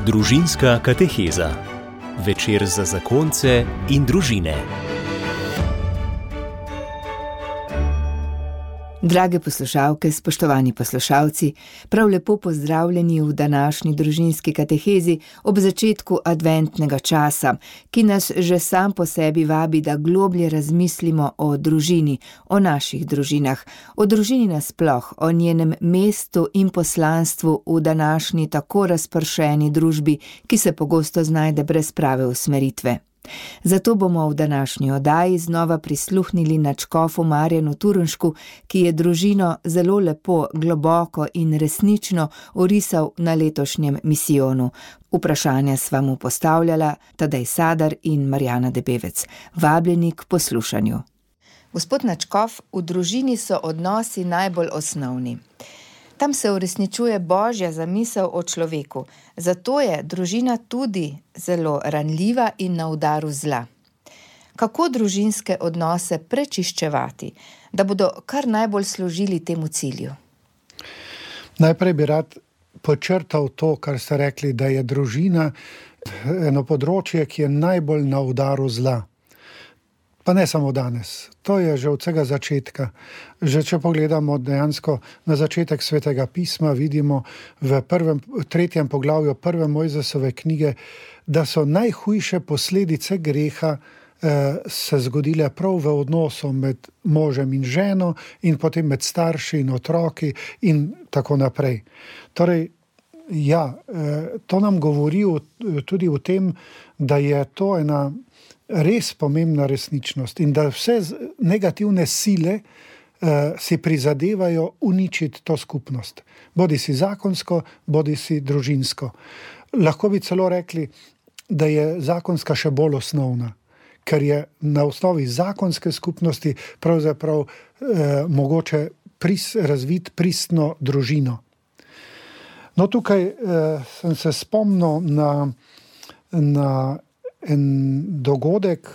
Družinska kateheza. Večer za zakonce in družine. Drage poslušalke, spoštovani poslušalci, prav lepo pozdravljeni v današnji družinski katehezi ob začetku adventnega časa, ki nas že sam po sebi vabi, da globlje razmislimo o družini, o naših družinah, o družini nasploh, o njenem mestu in poslanstvu v današnji tako razpršeni družbi, ki se pogosto znajde brez prave usmeritve. Zato bomo v današnji oddaji znova prisluhnili nadškofu Marjanu Turnšku, ki je družino zelo lepo, globoko in resnično orisal na letošnjem misijonu. Vprašanja sva mu postavljala Tadej Sadar in Marjana Debevec. Vabljeni k poslušanju. Gospod nadškof, v družini so odnosi najbolj osnovni. Tam se uresničuje Božja zamisel o človeku, zato je družina tudi zelo ranljiva in na udaru zla. Kako družinske odnose prečiščevati, da bodo kar najbolj služili temu cilju? Najprej bi rad podčrtal to, kar ste rekli, da je družina eno področje, ki je najbolj na udaru zla. Pa ne samo danes, to je že od vsega začetka. Že če pogledamo dejansko na začetek Svetega pisma, vidimo v 3. poglavju 1. Mojzesove knjige, da so najhujše posledice greha se zgodile prav v odnosu med možem in ženo in potem med starši in otroki in tako naprej. Torej, to nam govori tudi o tem, da je to ena res pomembna resničnost in da vse negativne sile si prizadevajo uničiti to skupnost. Bodi si zakonsko, bodi si družinsko. Lahko bi celo rekli, da je zakonska še bolj osnovna, ker je na osnovi zakonske skupnosti pravzaprav mogoče razviti pristno družino. No, tukaj sem se spomnil na en dogodek.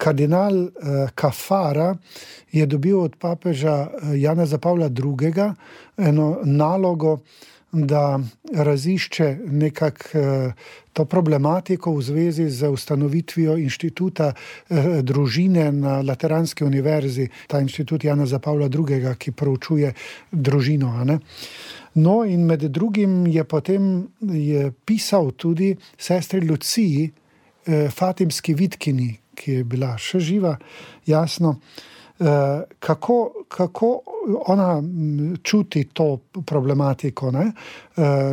Kardinal Caffarra je dobil od papeža Janeza Pavla II. Eno nalogo, da razišče to problematiko v zvezi z ustanovitvijo inštituta družine na Lateranski univerzi, ta inštitut Janeza Pavla II., ki proučuje družino. No, in med drugim je potem pisal tudi sestri Luciji, Fatimski Vitkini, ki je bila še živa, jasno, kako ona čuti to problematiko, ne?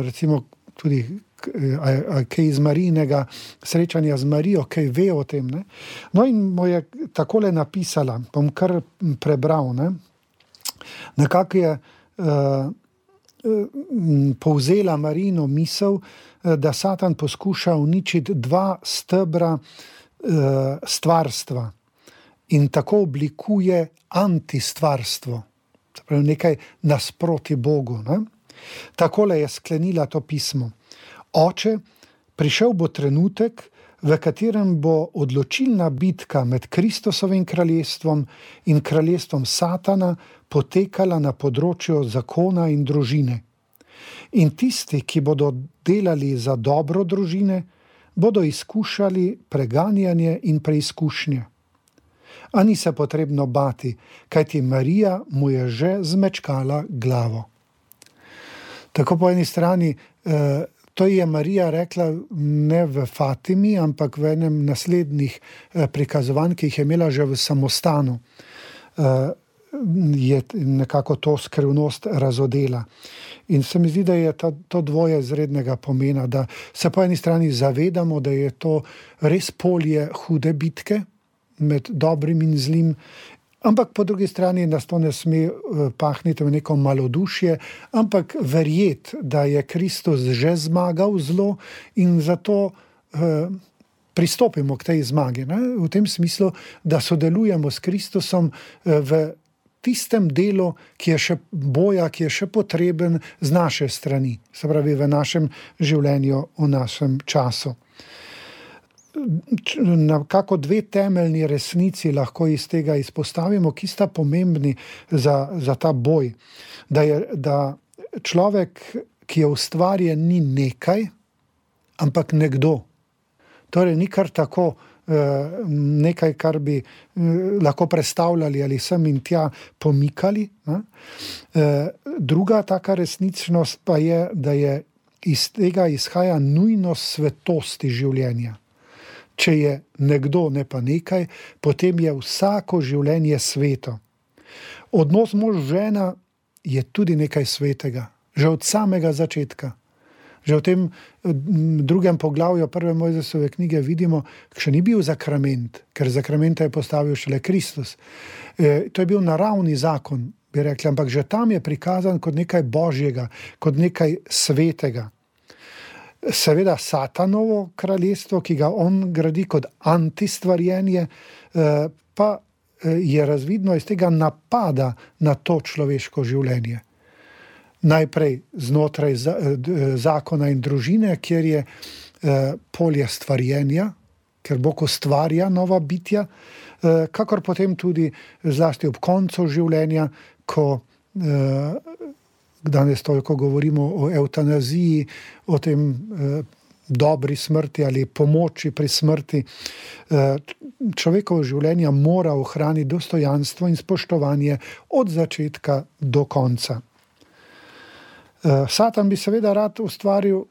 Recimo tudi kaj iz Marijinega srečanja z Marijo, kaj ve o tem, ne? No, in mu je takole napisala, bom kar prebral, ne? Nekako je povzela Marijino misel, da Satan poskuša uničiti dva stebra stvarstva in tako oblikuje antistvarstvo, nekaj nasproti Bogu. Ne? Takole je sklenila to pismo. Oče, prišel bo trenutek, v katerem bo odločilna bitka med Kristusovim kraljestvom in kraljestvom Satana potekala na področju zakona in družine. In tisti, ki bodo delali za dobro družine, bodo izkušali preganjanje in preizkušnje. A ni se potrebno bati, kajti Marija mu je že zmečkala glavo. Tako po eni strani, to je Marija rekla ne v Fatimi, ampak v enem naslednjih prikazovanj, ki jih je imela že v samostanu. Je nekako to skrivnost razodela. In se mi zdi, da je to dvoje izrednega pomena, da se po eni strani zavedamo, da je to res polje hude bitke med dobrim in zlim, ampak po drugi strani nas to ne sme pahniti v neko malodušje, ampak verjeti, da je Kristus že zmagal zlo in zato pristopimo k tej zmagi. Ne? V tem smislu, da sodelujemo s Kristusom v tistem delu, ki je še potreben z naše strani, se pravi v našem življenju, v našem času. Nekako dve temeljni resnici lahko iz tega izpostavimo, ki sta pomembni za ta boj. Da človek, ki je ustvarjen, ni nekaj, ampak nekdo. Torej, ni kar tako nekaj, kar bi lahko predstavljali ali sem in tja pomikali. Druga taka resničnost pa je, da je iz tega izhaja nujnost svetosti življenja. Če je nekdo, ne pa nekaj, potem je vsako življenje sveto. Odnos mož-žena je tudi nekaj svetega, že od samega začetka. Že v tem drugem poglavju prve Mojzesove knjige vidimo, še ni bil zakrament, ker zakramenta je postavil šele Kristus. To je bil naravni zakon, bi rekli, ampak že tam je prikazan kot nekaj božjega, kot nekaj svetega. Seveda Satanovo kraljestvo, ki ga on gradi kot antistvarjenje, pa je razvidno iz tega napada na to človeško življenje. Najprej znotraj zakona in družine, kjer je polje stvarjenja, ker Bog ustvarja nova bitja, kakor potem tudi zlasti ob koncu življenja, ko danes toliko govorimo o evtanaziji, o tem dobri smrti ali pomoči pri smrti. Človekovo življenje mora ohraniti dostojanstvo in spoštovanje od začetka do konca. Satan bi seveda rad ustvaril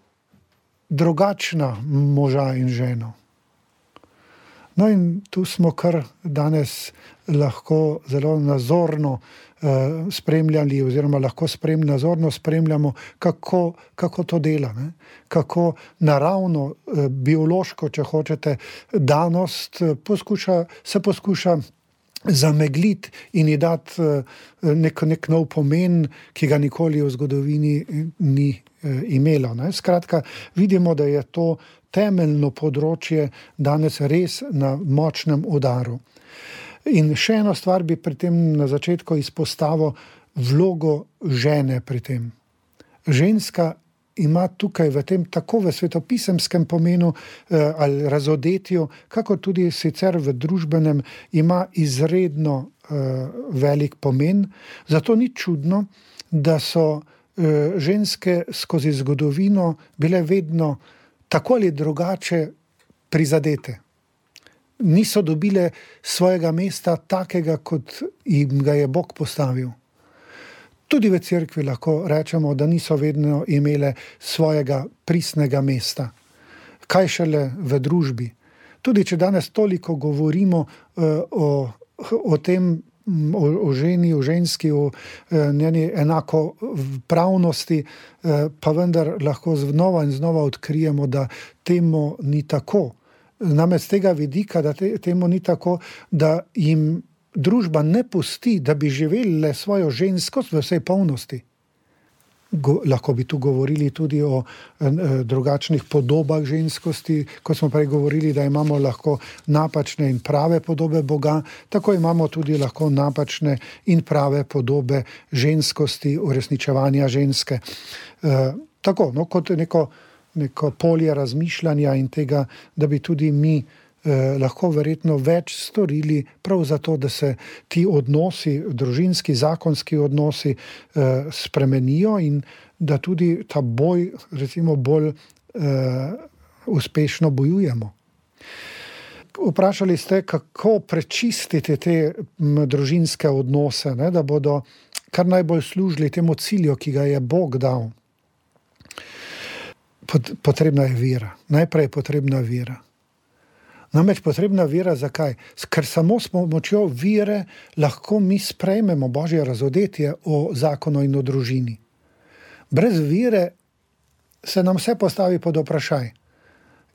drugačna moža in ženo. No in tu smo kar danes lahko zelo nazorno spremljali oziroma lahko nazorno spremljamo, kako to dela, ne? Kako naravno, biološko, če hočete, danost se poskuša zamegliti in ji dati nek nov pomen, ki ga nikoli v zgodovini ni imelo. Ne? Skratka, vidimo, da je to temeljno področje danes res na močnem udaru. In še eno stvar bi pri tem na začetku izpostavil vlogo žene pri tem. Ženska ima tukaj v tem tako v svetopisemskem pomenu ali razodetju, kako tudi sicer v družbenem, ima izredno velik pomen. Zato ni čudno, da so ženske skozi zgodovino bile vedno tako ali drugače prizadete. Niso dobile svojega mesta takega, kot jim ga je Bog postavil. Tudi v cerkvi lahko rečemo, da niso vedno imele svojega pristnega mesta. Kaj šele v družbi. Tudi če danes toliko govorimo o tem, o ženi, o ženski, o njeni enakopravnosti, pa vendar lahko znova in znova odkrijemo, da temu ni tako. Namreč z tega vidika, da temu ni tako, da jim družba ne pusti, da bi živeli svojo ženskost v vsej polnosti. Lahko bi tu govorili tudi o drugačnih podobah ženskosti, kot smo prej govorili, da imamo lahko napačne in prave podobe Boga, tako imamo tudi lahko napačne in prave podobe ženskosti, uresničevanja ženske. Tako, no, kot neko polje razmišljanja in tega, da bi tudi mi lahko verjetno več storili prav zato, da se ti odnosi, družinski, zakonski odnosi spremenijo in da tudi ta boj, recimo, bolj uspešno bojujemo. Vprašali ste, kako prečistiti te družinske odnose, ne, da bodo kar najbolj služili temu cilju, ki ga je Bog dal. Potrebna je vera. Najprej je potrebna vera. Namreč potrebna vera zakaj? Ker samo s pomočjo vere lahko mi sprejmemo Božje razodetje o zakonu in o družini. Brez vere se nam vse postavi pod vprašaj.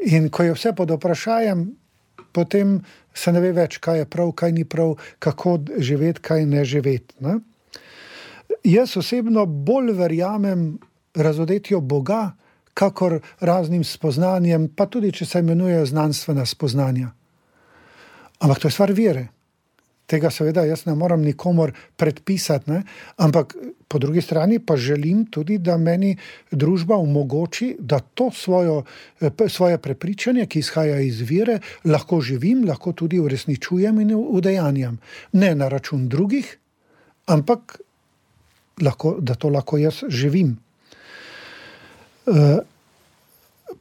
In ko je vse pod vprašajem, potem se ne ve več, kaj je prav, kaj ni prav, kako živeti, kaj ne živeti. Ne? Jaz osebno bolj verjamem razodetju Boga, kakor raznim spoznanjem, pa tudi, če se imenujejo znanstvena spoznanja. Ampak to je stvar vere. Tega seveda jaz ne moram nikomor predpisati, ne? Ampak po drugi strani pa želim tudi, da meni družba omogoči, da to svoje prepričanje, ki izhaja iz vere, lahko živim, lahko tudi uresničujem in udejanjam. Ne na račun drugih, ampak da to lahko jaz živim.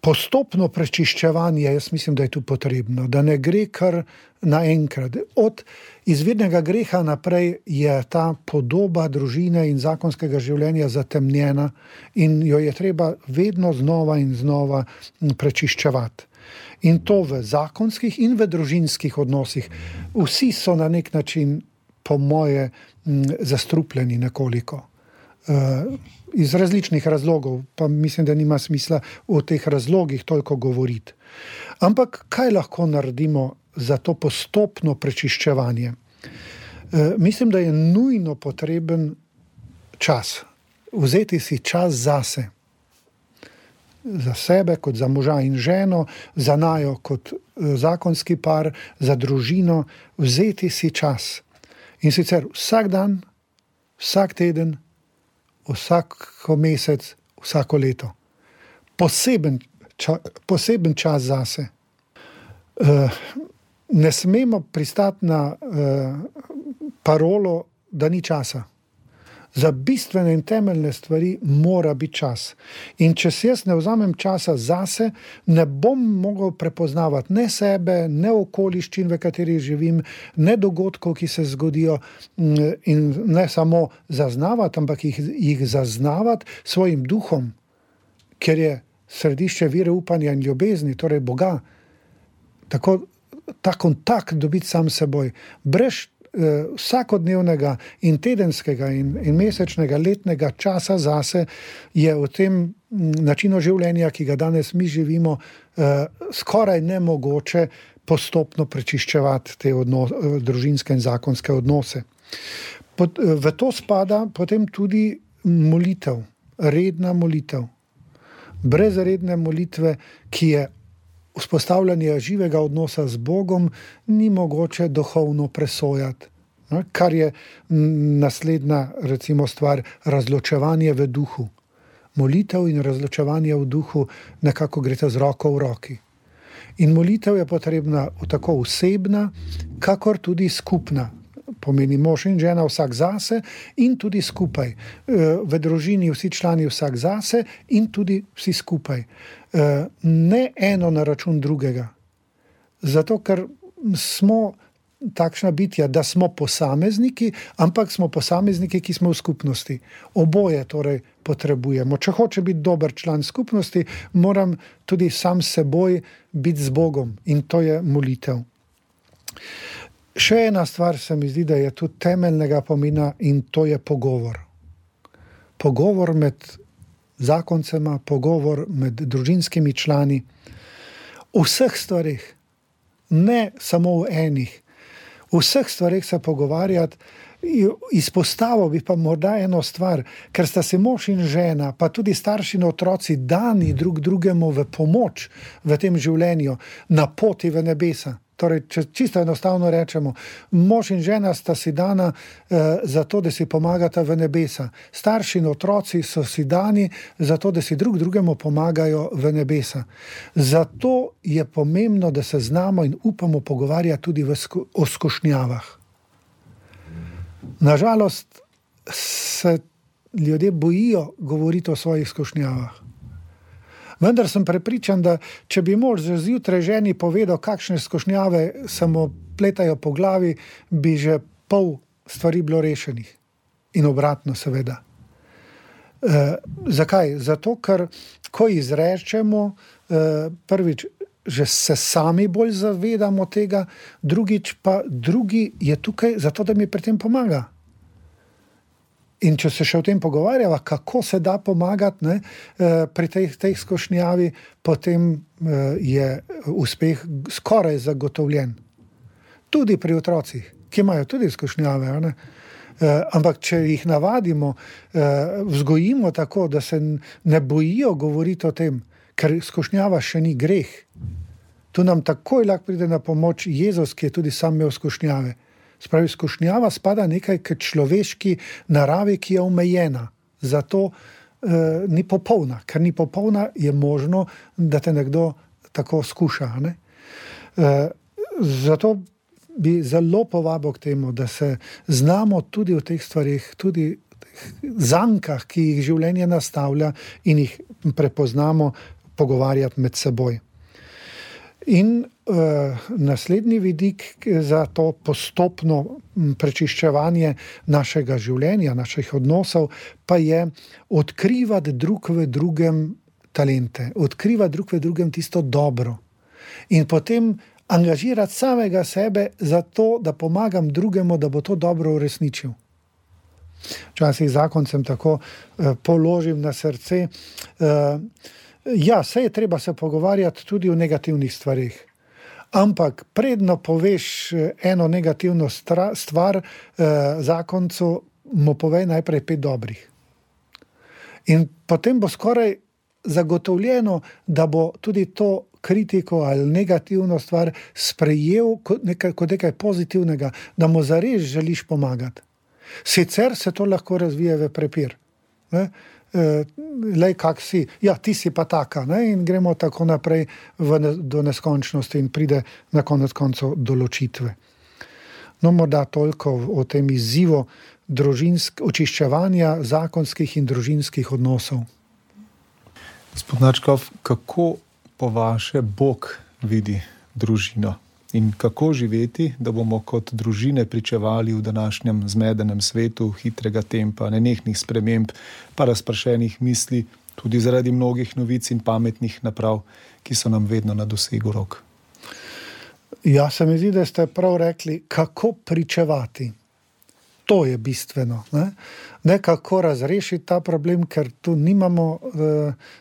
postopno prečiščevanje, jaz mislim, da je tu potrebno, da ne gre kar naenkrat. Od izvirnega greha naprej je ta podoba družine in zakonskega življenja zatemnjena in jo je treba vedno znova in znova prečiščevati. In to v zakonskih in v družinskih odnosih. Vsi so na nek način, po moje, zastrupljeni nekoliko. Iz različnih razlogov, pa mislim, da nima smisla o teh razlogih toliko govoriti. Ampak kaj lahko naredimo za to postopno prečiščevanje? Mislim, da je nujno potreben čas. Vzeti si čas zase. Za sebe kot za moža in ženo, za naju kot zakonski par, za družino. Vzeti si čas. In sicer vsak dan, vsak teden, vsako mesec, vsako leto. Poseben čas zase. Ne smemo pristati na parolo, da ni časa. Za bistvene in temeljne stvari mora biti čas. In če si jaz ne vzamem časa zase, ne bom mogel prepoznavati ne sebe, ne okoliščin, v katerih živim, ne dogodkov, ki se zgodijo, in ne samo zaznavati, ampak jih zaznavati svojim duhom, ker je središče vire upanja in ljubezni, torej Boga. Tako ta kontakt dobiti sam s seboj. Brez vsakodnevnega in tedenskega in mesečnega, letnega časa zase je v tem načinu življenja, ki ga danes mi živimo, skoraj nemogoče postopno prečiščevati te družinske in zakonske odnose. V to spada potem tudi molitev, redna molitev. Brez redne molitve, ki je vzpostavljanje živega odnosa z Bogom, ni mogoče duhovno presojati. Kar je naslednja, recimo, stvar, razločevanje v duhu. Molitev in razločevanje v duhu nekako gresta z roko v roki. In molitev je potrebna tako osebna, kakor tudi skupna. Pomeni mož in žena vsak zase in tudi skupaj. V družini vsi člani vsak zase in tudi vsi skupaj. Ne eno na račun drugega. Zato, ker smo takšna bitja, da smo posamezniki, ampak smo posamezniki, ki smo v skupnosti. Oboje torej potrebujemo. Če hoče biti dober član skupnosti, moram tudi sam s seboj biti z Bogom in to je molitev. Še ena stvar se mi zdi, da je tu temeljnega pomena in to je pogovor. Pogovor med zakoncema, pogovor med družinskimi člani. V vseh stvarih, ne samo v enih. V vseh stvarih se pogovarjati. Izpostavil bi pa morda eno stvar, ker sta se mož in žena, pa tudi starši in otroci dani drug drugemu v pomoč v tem življenju, na poti v nebesa. Torej, če čisto enostavno rečemo, mož in žena sta si dana za to, da si pomagata v nebesa. Starši in otroci so si dani za to, da si drug drugemu pomagajo v nebesa. Zato je pomembno, da se znamo in upamo pogovarjati tudi o skušnjavah. Nažalost se ljudje bojijo govoriti o svojih skušnjavah. Vendar sem prepričan, da če bi mož zjutraj ženi povedal, kakšne skušnjave se mu pletajo po glavi, bi že pol stvari bilo rešenih. In obratno, seveda. Zakaj? Zato, ker ko izrečemo, prvič, že se sami bolj zavedamo tega, drugič pa drugi je tukaj zato, da mi pri tem pomaga. In če se še o tem pogovarjava, kako se da pomagati pri tej skušnjavi, potem je uspeh skoraj zagotovljen. Tudi pri otrocih, ki imajo tudi skušnjave. Ampak če jih navadimo, vzgojimo tako, da se ne bojijo govoriti o tem, ker skušnjava še ni greh. Tu nam takoj lahko pride na pomoč Jezus, ki je tudi sam imel skušnjave. Spravi, skušnjava spada nekaj k človeški naravi, ki je omejena. Zato ni popolna. Ker ni popolna, je možno, da te nekdo tako skuša. Zato bi zelo povabil k temu, da se znamo tudi v teh stvarih, tudi v teh zankah, ki jih življenje nastavlja in jih prepoznamo, pogovarjati med seboj. In naslednji vidik za to postopno prečiščevanje našega življenja, naših odnosov, pa je odkrivati drug v drugem talente, odkrivati drug v drugem tisto dobro. In potem angažirati samega sebe za to, da pomagam drugemu, da bo to dobro uresničil. Včasih zakoncem tako položim na srce, ja, saj je treba se pogovarjati tudi o negativnih stvarih. Ampak predno poveš eno negativno stvar zakoncu, mu povej najprej 5 dobrih. In potem bo skoraj zagotovljeno, da bo tudi to kritiko ali negativno stvar sprejel kot nekaj pozitivnega, da mu zares želiš pomagati. Sicer se to lahko razvije v prepir. Ne? Lej, kak si, ja, ti si pa taka, ne? In gremo tako naprej do neskončnosti in pride na konec koncev do ločitve. No, morda toliko o tem izzivu očiščevanja zakonskih in družinskih odnosov. Gospod Načkov, kako po vaše Bog vidi družino? In kako živeti, da bomo kot družine pričevali v današnjem zmedenem svetu hitrega tempa, nenehnih sprememb, pa razpršenih misli, tudi zaradi mnogih novic in pametnih naprav, ki so nam vedno na dosegu rok? Ja, se mi zdi, da ste prav rekli, kako pričevati. To je bistveno. Ne kako razrešiti ta problem, ker tu nimamo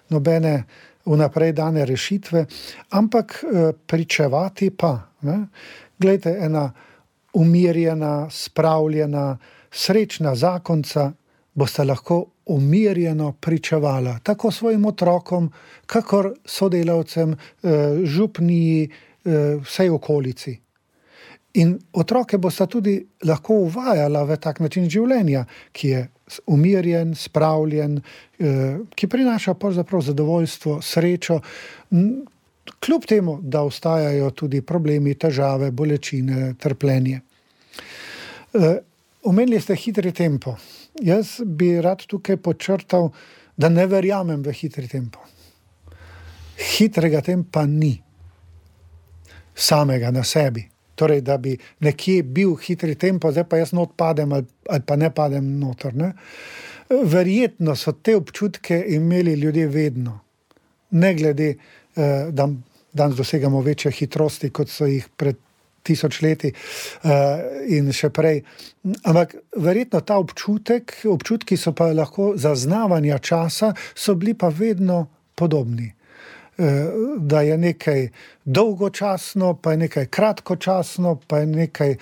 nobene vnaprej dane rešitve, ampak pričevati pa. Glejte, ena umirjena, spravljena, srečna zakonca boste lahko umirjeno pričevala tako svojim otrokom, kakor sodelavcem, župniji, vsej okolici. In otroke boste tudi lahko uvajala v tak način življenja, ki je umirjen, spravljen, ki prinaša pravzaprav zadovoljstvo, srečo, kljub temu, da ostajajo tudi problemi, težave, bolečine, trpljenje. Omenili ste hitri tempo. Jaz bi rad tukaj podčrtal, da ne verjamem v hitri tempo. Hitrega tempa ni. Samega na sebi. Torej, da bi nekje bil hitri tempo, zdaj pa jaz not padem ali pa ne padem noter. Ne? Verjetno so te občutke imeli ljudje vedno. Ne glede, da danes dosegamo večje hitrosti, kot so jih pred 1000 leti in še prej. Ampak verjetno ta občutki so pa lahko zaznavanja časa, so bili pa vedno podobni. Da je nekaj dolgočasno, pa je nekaj kratkočasno, pa je nekaj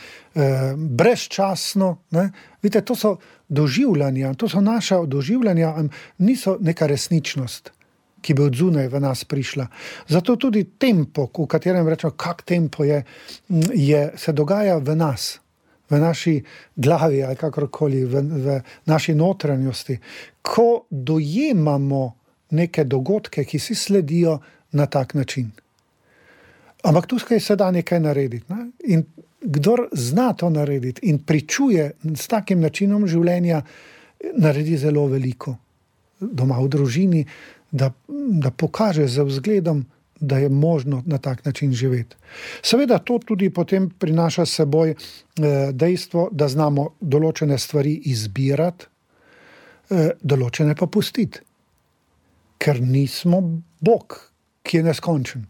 brezčasno. Ne? Vidite, to so doživljanja, to so naša doživljanja, niso neka resničnost, ki bi od zunaj v nas prišla. Zato tudi tempo, v katerem rečemo, kak tempo je, se dogaja v nas, v naši glavi ali kakorkoli, v naši notranjosti. Ko dojemamo neke dogodke, ki si sledijo na tak način. Ampak tukaj se da nekaj narediti. Ne? In kdor zna to narediti in pričuje s takim načinom življenja, naredi zelo veliko doma v družini, da pokaže z vzgledom, da je možno na tak način živeti. Seveda to tudi potem prinaša s seboj dejstvo, da znamo določene stvari izbirati, določene pa pustiti. Ker nismo Bog, ki je neskončen.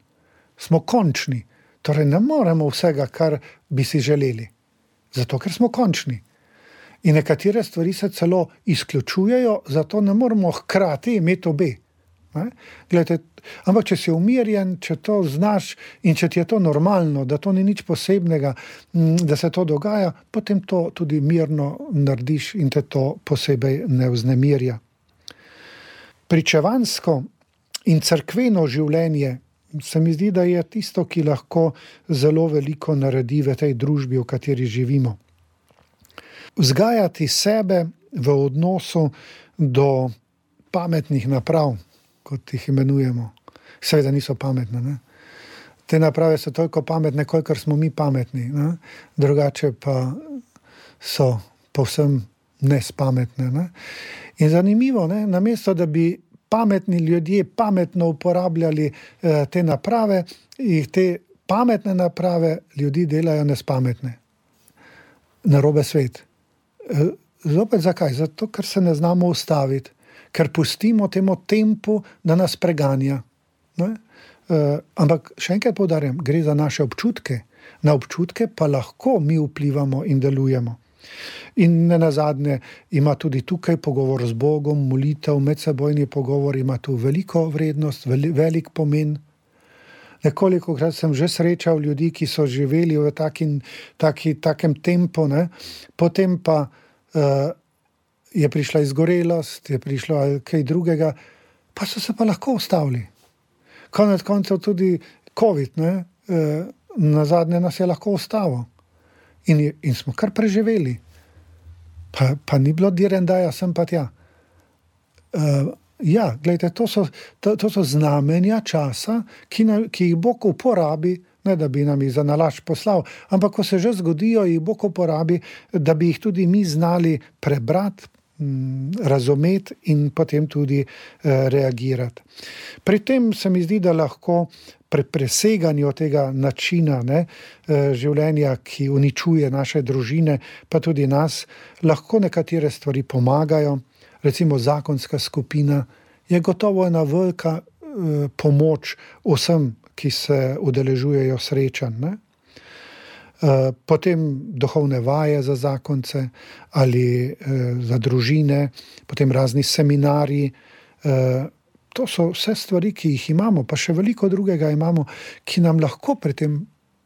Smo končni. Torej ne moremo vsega, kar bi si želeli. Zato, ker smo končni. In nekatere stvari se celo izključujejo, zato ne moremo hkrati imeti obe. Glejte, ampak če si umirjen, če to znaš in če ti je to normalno, da to ni nič posebnega, da se to dogaja, potem to tudi mirno narediš in te to posebej ne vznemirja. Pričevansko in cerkveno življenje se mi zdi, da je tisto, ki lahko zelo veliko naredi v tej družbi, v kateri živimo. Vzgajati sebe v odnosu do pametnih naprav, kot jih imenujemo. Seveda niso pametne. Ne? Te naprave so toliko pametne, kolikor smo mi pametni. Ne? Drugače pa so povsem nespametne. Ne? In zanimivo, namesto da bi pametni ljudje pametno uporabljali te naprave, in te pametne naprave ljudi delajo nespametne. Narobe svet. Zopet zakaj? Zato, ker se ne znamo ustaviti, ker pustimo temu tempu, da nas preganja. Ne? Ampak še enkrat poudarjam, gre za naše občutke. Na občutke pa lahko mi vplivamo in delujemo. In nenazadnje ima tudi tukaj pogovor z Bogom, molitev, medsebojni pogovor ima tu veliko vrednost, velik pomen. Nekolikokrat sem že srečal ljudi, ki so živeli v takem tempu, ne? Potem pa je prišla izgorelost, je prišlo kaj drugega, pa so se pa lahko ustavili. Konec koncev tudi COVID, ne? Nazadnje nas je lahko ustavil. In smo kar preživeli. Pa ni bilo direndaja sem pa tja. Ja, gledajte, to so znamenja časa, ki jih Bog uporabi, ne da bi nam jih za nalašč poslal, ampak ko se že zgodijo, jih Bog uporabi, da bi jih tudi mi znali prebrati, razumeti in potem tudi reagirati. Pri tem se mi zdi, da lahko pri preseganju tega načina življenja, ki uničuje naše družine, pa tudi nas, lahko nekatere stvari pomagajo. Recimo zakonska skupina je gotovo ena velika pomoč vsem, ki se udeležujejo srečanj. Ne? Potem duhovne vaje za zakonce ali za družine, potem razni seminarji. To so vse stvari, ki jih imamo, pa še veliko drugega imamo, ki nam lahko pri tem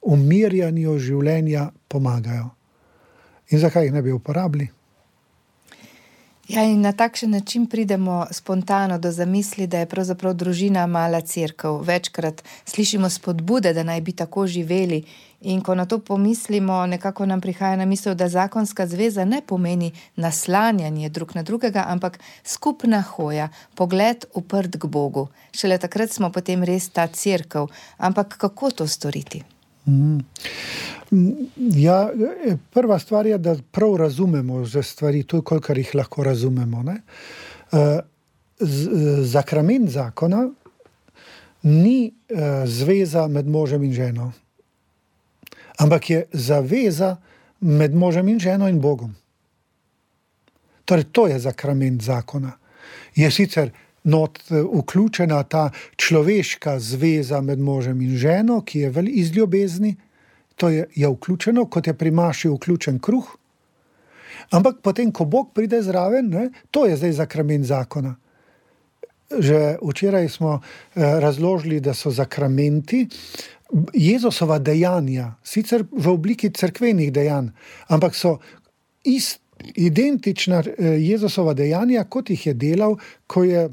umirjanju življenja pomagajo. In zakaj jih ne bi uporabili? Ja, in na takšen način pridemo spontano do zamisli, da je pravzaprav družina mala cerkev. Večkrat slišimo spodbude, da naj bi tako živeli. In ko na to pomislimo, nekako nam prihaja na misel, da zakonska zveza ne pomeni naslanjanje drug na drugega, ampak skupna hoja, pogled uprt k Bogu. Šele takrat smo potem res ta cerkev. Ampak kako to storiti? Ja, prva stvar je, da prav razumemo že stvari, to, kolikor jih lahko razumemo. Ne? Zakrament zakona ni zveza med možem in ženo, ampak je zaveza med možem in ženo in Bogom. Torej, to je zakrament zakona. Je sicer vključena ta človeška zveza med možem in ženo, ki je iz ljubezni, to je vključeno, kot je pri maši vključen kruh. Ampak potem, ko Bog pride zraven, to je zdaj zakrament zakona. Že včeraj smo razložili, da so zakramenti Jezusova dejanja, sicer v obliki cerkvenih dejanj, ampak so identična Jezusova dejanja, kot jih je delal, ko je,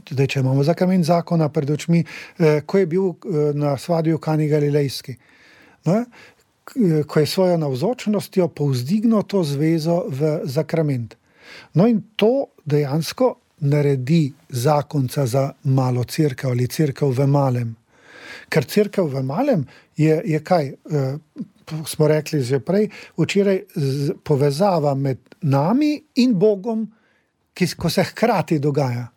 tudi če imamo zakrament zakona pred očmi, ko je bil na svadbi v Kani Galilejski. Ko je svojo navzočnostjo povzdignil to zvezo v zakrament. No in to dejansko naredi zakonca za malo cerkev ali cerkev v malem. Ker cerkev v malem je kaj? Smo rekli že prej, včeraj povezava med nami in Bogom, ko se hkrati dogaja.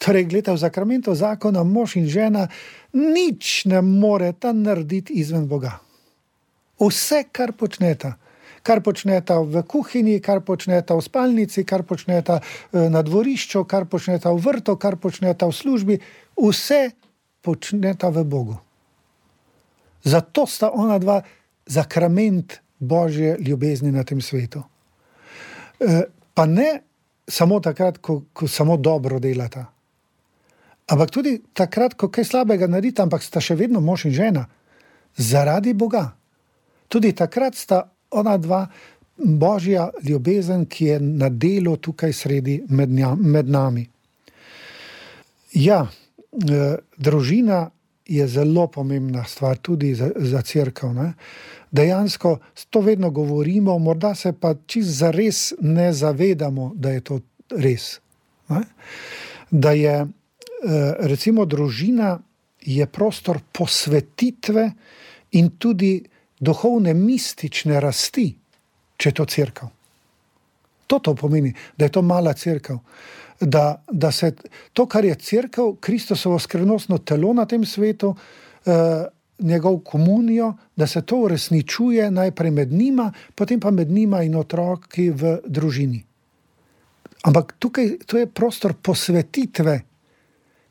Torej, gledajte, v zakramentu zakona mož in žena nič ne moreta narediti izven Boga. Vse, kar počneta v kuhinji, kar počneta v spalnici, kar počneta na dvorišču, kar počneta v vrtu, kar počneta v službi, vse počneta v Bogu. Zato sta ona dva zakrament Božje ljubezni na tem svetu. Pa ne samo takrat, ko samo dobro delata. Ampak tudi takrat, ko kaj slabega naredita, ampak sta še vedno mož in žena. Zaradi Boga. Tudi takrat sta ona dva Božja ljubezen, ki je na delu tukaj sredi med nami. Ja, družina je zelo pomembna stvar tudi za cerkev. Ne? Dejansko to vedno govorimo, morda se pa čisto zares ne zavedamo, da je to res. Ne? Da je recimo družina je prostor posvetitve in tudi duhovne mistične rasti, če je to cerkev. To pomeni, da je to mala cerkev. Da se to, kar je cerkev, Kristusovo skrivnostno telo na tem svetu, njegov komunijo, da se to uresničuje najprej med njima, potem pa med njima in otroki v družini. Ampak tukaj to je prostor posvetitve.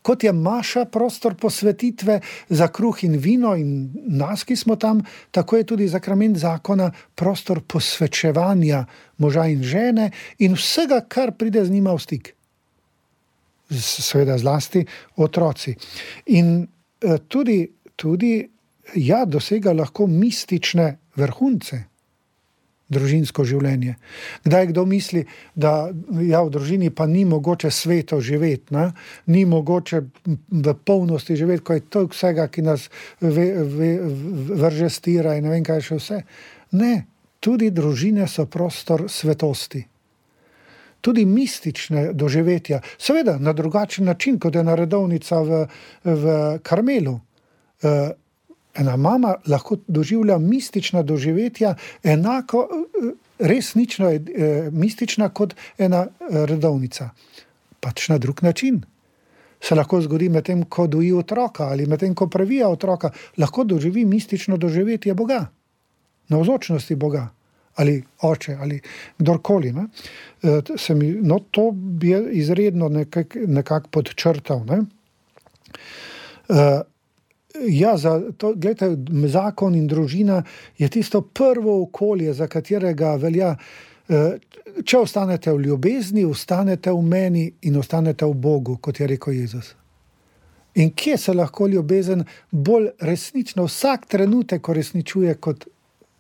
Kot je maša prostor posvetitve za kruh in vino in nas, ki smo tam, tako je tudi sakrament zakona prostor posvečevanja moža in žene in vsega, kar pride z njima v stik. Seveda zlasti otroci. In tudi dosega lahko mistične vrhunce družinsko življenje. Kdaj kdo misli, da v družini pa ni mogoče sveto živeti, ne? Ni mogoče v polnosti živeti, ko je to vsega, ki nas vrže stira in ne vem kaj še vse. Ne, tudi družine so prostor svetosti. Tudi mistične doživetja. Seveda, na drugačen način, kot je redovnica v Karmelu. Ena mama lahko doživlja mistična doživetja enako resnično mistična kot ena redovnica. Pač na drug način. Se lahko zgodi medtem, ko doji otroka ali medtem, ko previja otroka, lahko doživi mistično doživetje Boga. Navzočnosti Boga. Ali oče, ali kdorkoli. Ne? To bi izredno nekako podčrtal. Ne? Gledajte, zakon in družina je tisto prvo okolje, za katerega velja, če ostanete v ljubezni, ostanete v meni in ostanete v Bogu, kot je rekel Jezus. In kje se lahko ljubezen bolj resnično vsak trenutek uresničuje kot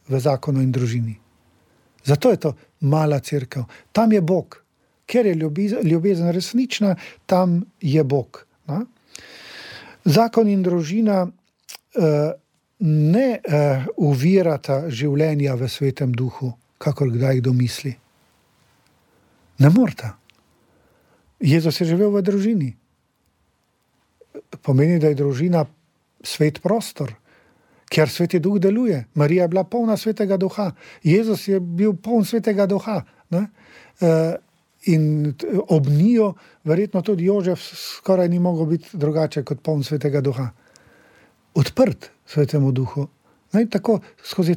v zakonu in družini? Zato je to mala cerkev. Tam je Bog. Ker je ljubezen resnična, tam je Bog. Ne? Zakon in družina ne uvirata življenja v svetem duhu, kakor kdaj kdo misli. Ne morata. Jezus je živel v družini. Pomeni, da je družina svet prostor, kjer sveti duh deluje. Marija je bila polna svetega duha. Jezus je bil poln svetega duha. Ne? In ob njiju verjetno tudi Jožef skoraj ni mogel biti drugače kot poln svetega duha. Odprt svetemu duhu. In tako skozi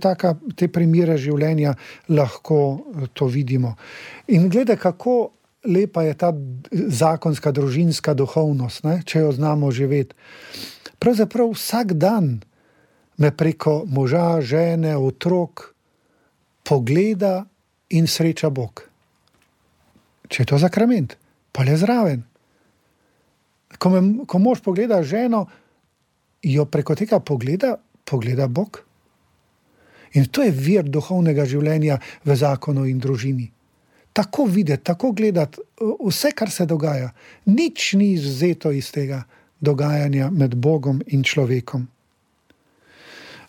te primere življenja lahko to vidimo. In gledaj, kako lepa je ta zakonska družinska duhovnost, ne? Če jo znamo živeti. Pravzaprav vsak dan me preko moža, žene, otrok pogleda in sreča Bog. Če je to sakrament, pa le zraven. Ko mož pogleda ženo, jo preko tega pogleda Bog. In to je vir duhovnega življenja v zakonu in družini. Tako videti, tako gledati vse, kar se dogaja. Nič ni izvzeto iz tega dogajanja med Bogom in človekom.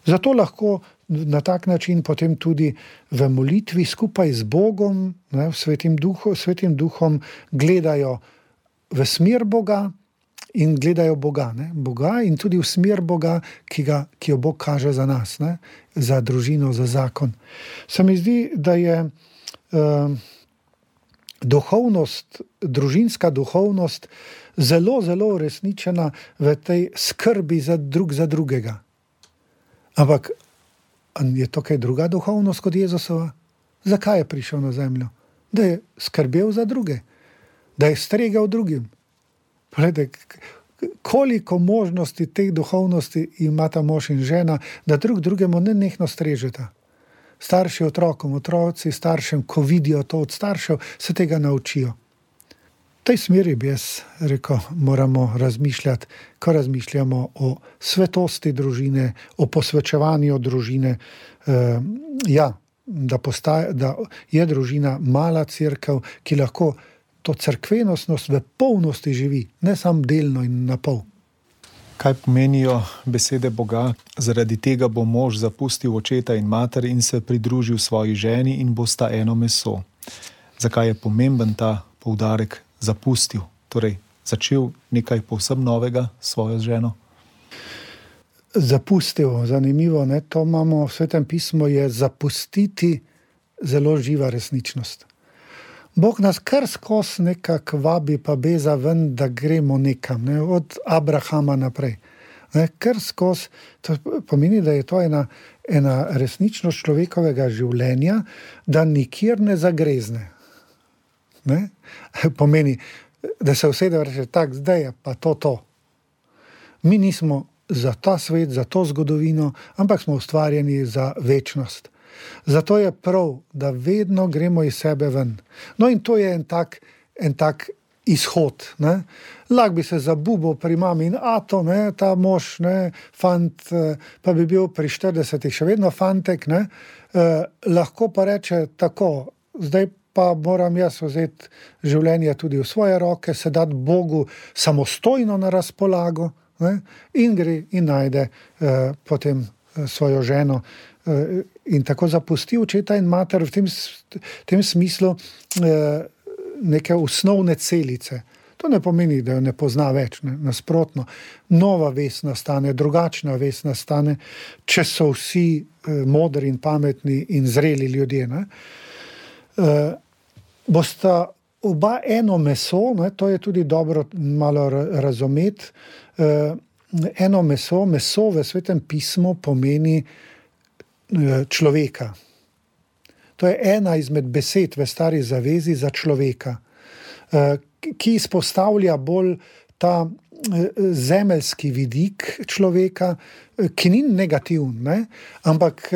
Zato lahko na tak način potem tudi v molitvi skupaj z Bogom, ne, svetim duhom gledajo v smer Boga in gledajo Boga. Ne, Boga in tudi v smer Boga, ki jo Bog kaže za nas, ne, za družino, za zakon. Se mi zdi, da je družinska duhovnost zelo, zelo uresničena v tej skrbi za drugega. Ampak je to kaj druga duhovnost kot Jezusova? Zakaj je prišel na zemljo? Da je skrbel za druge, da je stregel drugim. Poglejte, koliko možnosti teh duhovnosti imata mož in žena, da drugemu nenehno strežeta. Starši otrokom, otroci staršem, ko vidijo to od staršev, se tega naučijo. V tej smeri bi jaz rekel, moramo razmišljati, ko razmišljamo o svetosti družine, o posvečevanju družine. Da je družina mala cerkev, ki lahko to cerkvenostnost v polnosti živi, ne samo delno in na pol. Kaj pomenijo besede Boga? Zaradi tega bo mož zapustil očeta in mater in se pridružil svoji ženi in bosta eno meso. Zakaj je pomemben ta poudarek zapustil? Torej, začel nekaj povsem novega s svojo ženo? Zapustil, zanimivo, ne? To imamo v Svetem pismu, je zapustiti zelo živa resničnost. Bog nas kar skozi nekako vabi pa beza ven, da gremo nekam, ne? Od Abrahama naprej. Ne? Kar skozi, to pomeni, da je to ena resničnost človekovega življenja, da nikjer ne zagrezne. Ne? Pomeni, da se usede in reče, tak, zdaj je pa to. Mi nismo za ta svet, za to zgodovino, ampak smo ustvarjeni za večnost. Zato je prav, da vedno gremo iz sebe ven. No in to je en tak izhod. Ne? Lahko bi se zabubil pri mami in ato, ne? Ta mož, ne? Fant, pa bi bil pri 40-ih še vedno fantek, ne? Lahko pa reče tako, zdaj pa moram jaz vzeti življenje tudi v svoje roke, se dati Bogu samostojno na razpolago, ne? In gre in najde potem svojo ženo in tako zapusti očeta in mater v tem smislu neke osnovne celice. To ne pomeni, da jo ne pozna več, ne? Nasprotno. Nova vest nastane, drugačna vest nastane, če so vsi modri in pametni in zreli ljudje. Ne? Bosta oba eno meso, ne? To je tudi dobro malo razumeti. Eno meso v Svetem pismu pomeni človeka. To je ena izmed besed v Stari zavezi za človeka, ki izpostavlja bolj ta zemeljski vidik človeka, ki ni negativen, ne? Ampak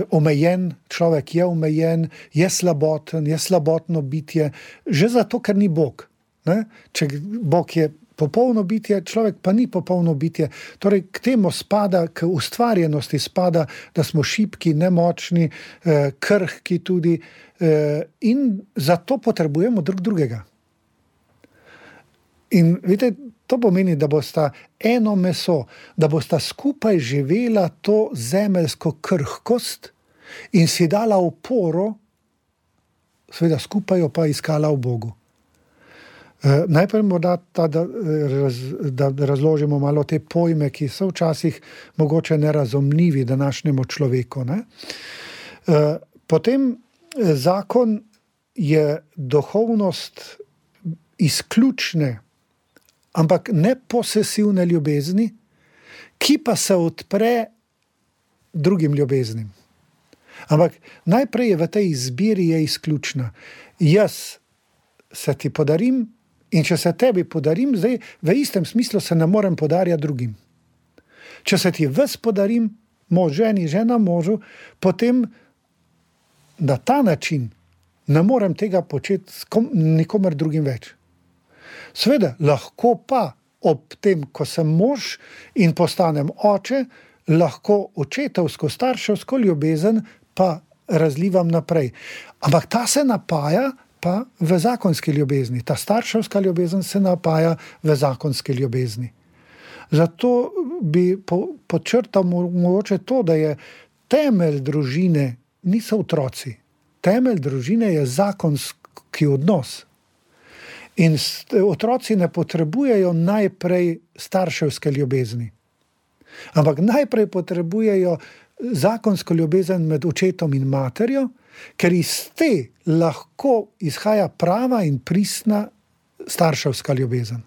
omejen, človek je omejen, je slaboten, je slabotno bitje, že zato, ker ni Bog. Ne? Če Bog je popolno bitje, človek pa ni popolno bitje. Torej, k temu spada, k ustvarjenosti spada, da smo šibki, nemočni, krhki tudi in zato potrebujemo drug drugega. In vidite, to pomeni, da bosta eno meso, da bosta skupaj živela to zemeljsko krhkost in si dala oporo, seveda skupaj jo pa iskala v Bogu. Najprej morda da razložimo malo te pojme, ki so včasih mogoče nerazumljivi današnjemu človeku. Ne? Potem zakon je duhovnost izključne, ampak ne posesivne ljubezni, ki pa se odpre drugim ljubeznim. Ampak najprej je v tej izbiri je izključna. Jaz se ti podarim, in če se tebi podarim, zdaj v istem smislu se ne morem podarjati drugim. Če se ti ves podarim, mož ženi, žena možu, potem na ta način ne morem tega početi s nikomer drugim več. Seveda, lahko pa ob tem, ko sem mož in postanem oče, lahko očetovsko, starševsko ljubezen pa razlivam naprej. Ampak ta se napaja pa v zakonski ljubezni. Ta starševska ljubezen se napaja v zakonski ljubezni. Zato bi podčrtal mogoče to, da je temelj družine niso otroci. Temelj družine je zakonski odnos. In otroci ne potrebujejo najprej starševske ljubezni. Ampak najprej potrebujejo zakonsko ljubezen med očetom in materjo, ker iz te lahko izhaja prava in pristna starševska ljubezen.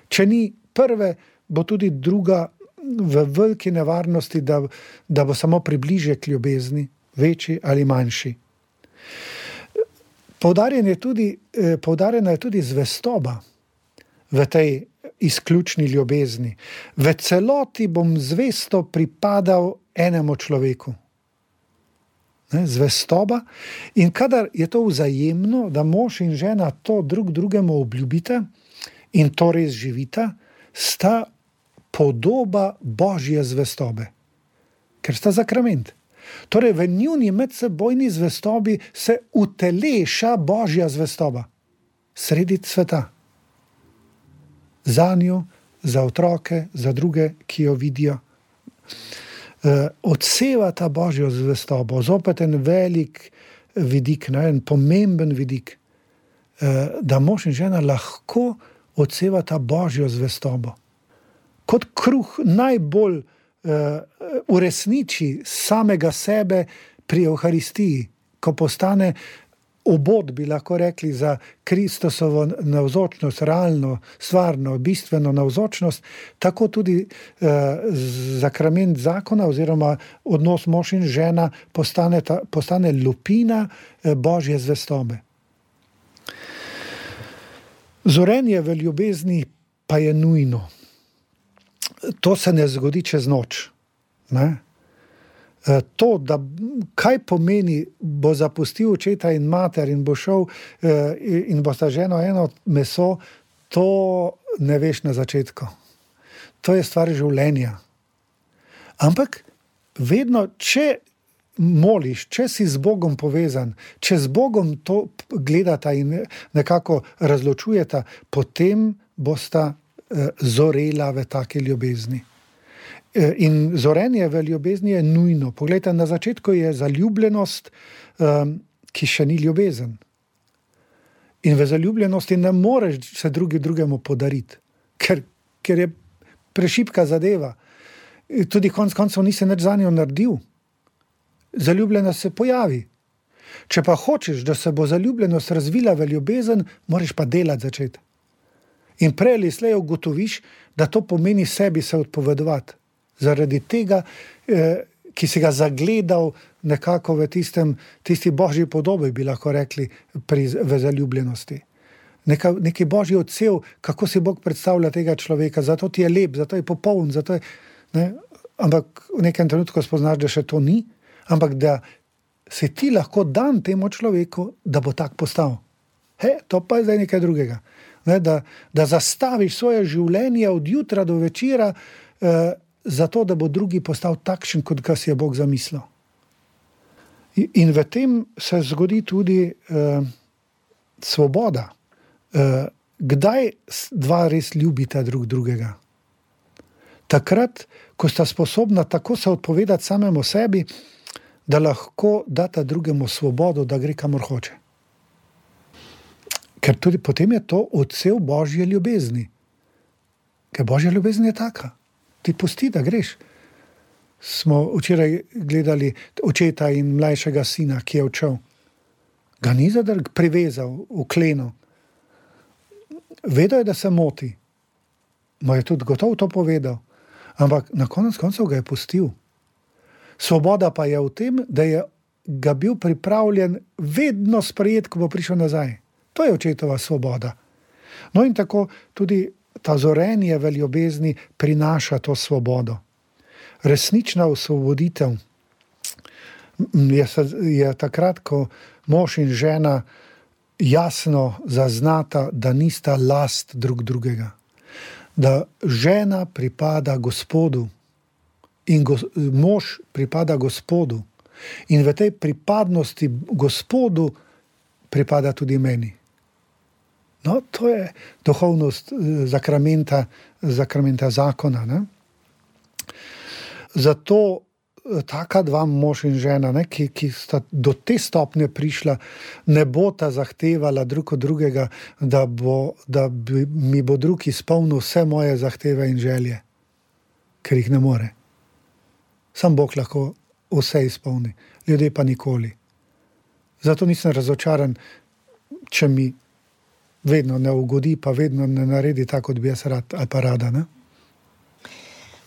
Če ni prve, bo tudi druga v veliki nevarnosti, da bo samo približek ljubezni, večji ali manjši. Poudarjena je tudi zvestoba v tej izključni ljubezni. V celoti bom zvesto pripadal enemu človeku. Zvestoba. In kadar je to vzajemno, da mož in žena to drug drugemu obljubita in to res živita, sta podoba Božje zvestobe. Ker sta sakrament. Torej, v njuni medsebojni zvestobi se uteleša Božja zvestoba. Sredi sveta. Za njo, za otroke, za druge, ki jo vidijo. Odseva ta Božjo zvestobo. Zopet en velik vidik, en pomemben vidik, da mož in žena lahko odseva ta Božjo zvestobo. Kot kruh najbolj uresniči samega sebe pri Evharistiji, ko postane obod, bi lahko rekli, za Kristusovo navzočnost, realno, stvarno, bistveno navzočnost, tako tudi zakrament zakona oziroma odnos mož in žena postane lupina Božje zvestobe. Zorenje v ljubezni pa je nujno. To se ne zgodi čez noč. Ne? To, da kaj pomeni, bo zapustil očeta in mater in bo šel in bo sta ženo eno meso, to ne veš na začetku. To je stvar življenja. Ampak vedno, če moliš, če si z Bogom povezan, če z Bogom to gledata in nekako razločujeta, potem bosta zorela v take ljubezni. In zorenje v ljubezni je nujno. Poglejte, na začetku je zaljubljenost, ki še ni ljubezen. In v zaljubljenosti ne moreš se drugemu podariti, ker je prešibka zadeva. Tudi konec koncev nisi nič zanjo naredil. Zaljubljenost se pojavi. Če pa hočeš, da se bo zaljubljenost razvila v ljubezen, moraš pa delati začeti. In prej ali slej ugotoviš, da to pomeni sebi se odpovedovati. Zaradi tega, ki si ga zagledal nekako v tisti božji podobi, bi lahko rekli, v zaljubljenosti. Neki božji odsev, kako si Bog predstavlja tega človeka, zato ti je lep, zato je popoln, zato je, ne? Ampak v nekem trenutku spoznaš, da še to ni, ampak da si ti lahko dan temu človeku, da bo tak postal. To pa je zdaj nekaj drugega. Ne? Da zastaviš svoje življenje od jutra do večera, zato, da bo drugi postal takšen, kot ga si je Bog zamislil. In v tem se zgodi tudi svoboda. Kdaj dva res ljubita drug drugega? Takrat, ko sta sposobna tako se odpovedati samemu sebi, da lahko data drugemu svobodo, da gre kamor hoče. Ker tudi potem je to odsev Božje ljubezni. Ker Božja ljubezen je taka. Ti pusti, da greš. Smo včeraj gledali očeta in mlajšega sina, ki je odšel. Ga ni privezal v kleno. Vedel je, da se moti. Mu je tudi gotovo to povedal. Ampak na konec koncev ga je pustil. Svoboda pa je v tem, da je ga bil pripravljen vedno sprejeti, ko bo prišel nazaj. To je očetova svoboda. No in tako tudi ta zorenje v ljubezni prinaša to svobodo. Resnična osvoboditev je takrat, ko mož in žena jasno zaznata, da nista last drug drugega. Da žena pripada Gospodu in mož pripada Gospodu. In v tej pripadnosti Gospodu pripada tudi meni. No, to je duhovnost zakramenta zakona. Ne? Zato taka dva mož in žena, ne, ki sta do te stopnje prišla, ne bo ta zahtevala drug od drugega, da mi bo drug izpolnil vse moje zahteve in želje, ker jih ne more. Sam Bog lahko vse izpolni, ljudje pa nikoli. Zato nisem razočaran, če mi vedno ne ugodi, pa vedno ne naredi tako, kot bi jaz rad ali pa rada. Ne?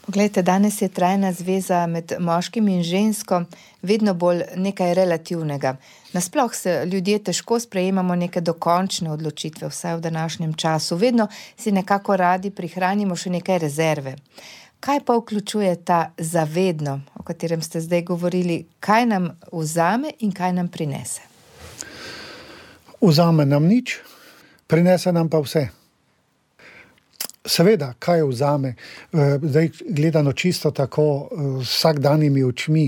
Poglejte, danes je trajna zveza med moškim in žensko vedno bolj nekaj relativnega. Nasploh se ljudje težko sprejemamo neke dokončne odločitve, vsaj v današnjem času. Vedno si nekako radi prihranimo še nekaj rezerve. Kaj pa vključuje ta zavedno, o katerem ste zdaj govorili? Kaj nam vzame in kaj nam prinese? Vzame nam nič, prinese nam pa vse. Seveda, kaj vzame? Zdaj gledano čisto tako vsakdanjimi očmi.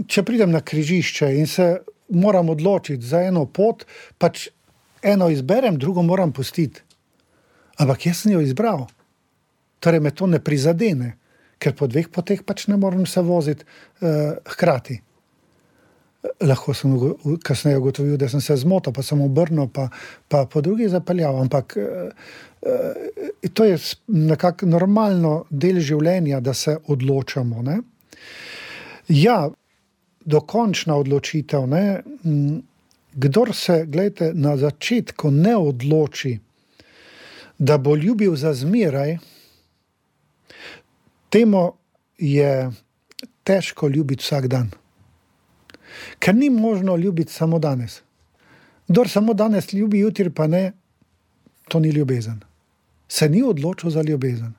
Če pridem na križišče in se moram odločiti za eno pot, pač eno izberem, drugo moram pustiti. Ampak jaz sem jo izbral. Torej me to ne prizadene, ker po dveh poteh pač ne morem se voziti hkrati. Lahko sem kasneje ugotovil, da sem se zmotil, pa sem obrnil, pa po drugi zapeljal. Ampak to je nekako normalno del življenja, da se odločamo. Ne? Ja, dokončna odločitev, ne? Kdor se, gledajte, na začetku ne odloči, da bo ljubil za zmeraj, temu je težko ljubiti vsak dan. Ker ni možno ljubiti samo danes. Kdor samo danes ljubi, jutri pa ne, to ni ljubezen. Se ni odločil za ljubezen.